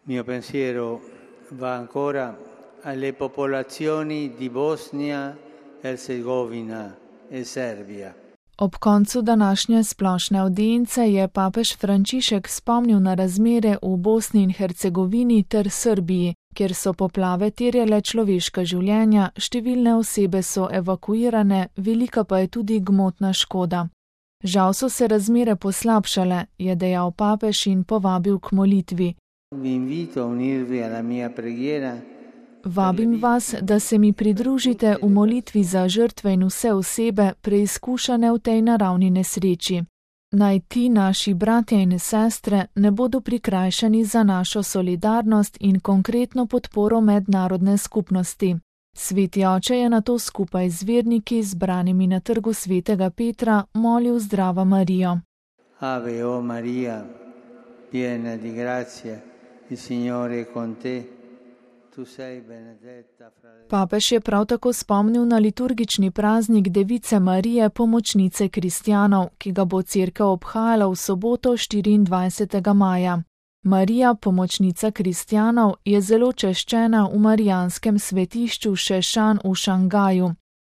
Mio pensiero va ancora alle popolazioni di Bosnia, Hercegovina e Serbia. Ob koncu današnje splošne audience je papež Frančišek spomnil na razmere v Bosni in Hercegovini ter Srbiji, kjer so poplave terjale človeška življenja, številne osebe so evakuirane, velika pa je tudi gmotna škoda. Žal so se razmere poslabšale, je dejal papež in povabil k molitvi. Vabim vas, da se mi pridružite v molitvi za žrtve in vse osebe, preizkušane v tej naravni nesreči. Naj ti, naši bratje in sestre, ne bodo prikrajšani za našo solidarnost in konkretno podporo mednarodne skupnosti. Sveti oče je nato skupaj z verniki, zbranimi na trgu svetega Petra, molil Zdrava Marijo. Ave o Maria, piena di grazia, il Signore è con te. Papež je prav tako spomnil na liturgični praznik Device Marije, pomočnice kristjanov, ki ga bo cerkev obhajala v soboto 24. maja. Marija, pomočnica kristjanov, je zelo češčena v marijanskem svetišču Šešan v Šangaju.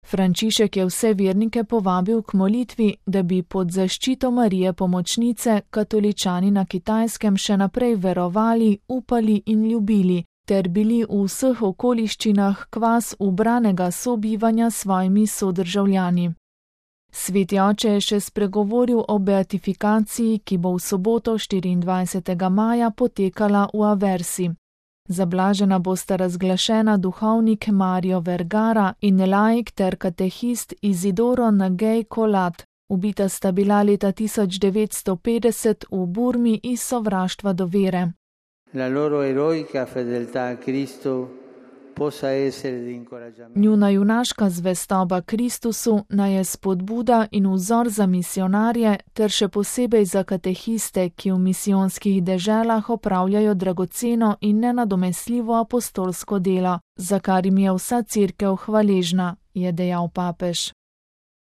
Frančišek je vse vernike povabil k molitvi, da bi pod zaščito Marije pomočnice katoličani na Kitajskem še naprej verovali, upali in ljubili, ter bili v vseh okoliščinah kvas ubranega sobivanja s svojimi sodržavljani. Sveti oče je še spregovoril o beatifikaciji, ki bo v soboto 24. maja potekala v Aversi. Zablažena bosta razglašena duhovnik Mario Vergara in laik ter katehist Isidoro Nagej Kolat. Ubita sta bila leta 1950 v Burmi iz sovraštva do vere. La loro eroica fedeltà a Cristo possa essere di incoraggiamento. Njuna junaška zvestoba Kristusu naj je spodbuda in vzor za misionarje ter še posebej za katehiste, ki v misijonskih deželah opravljajo dragoceno in nenadomestljivo apostolsko delo, za kar jim je vsa cerkev hvaležna, je dejal papež.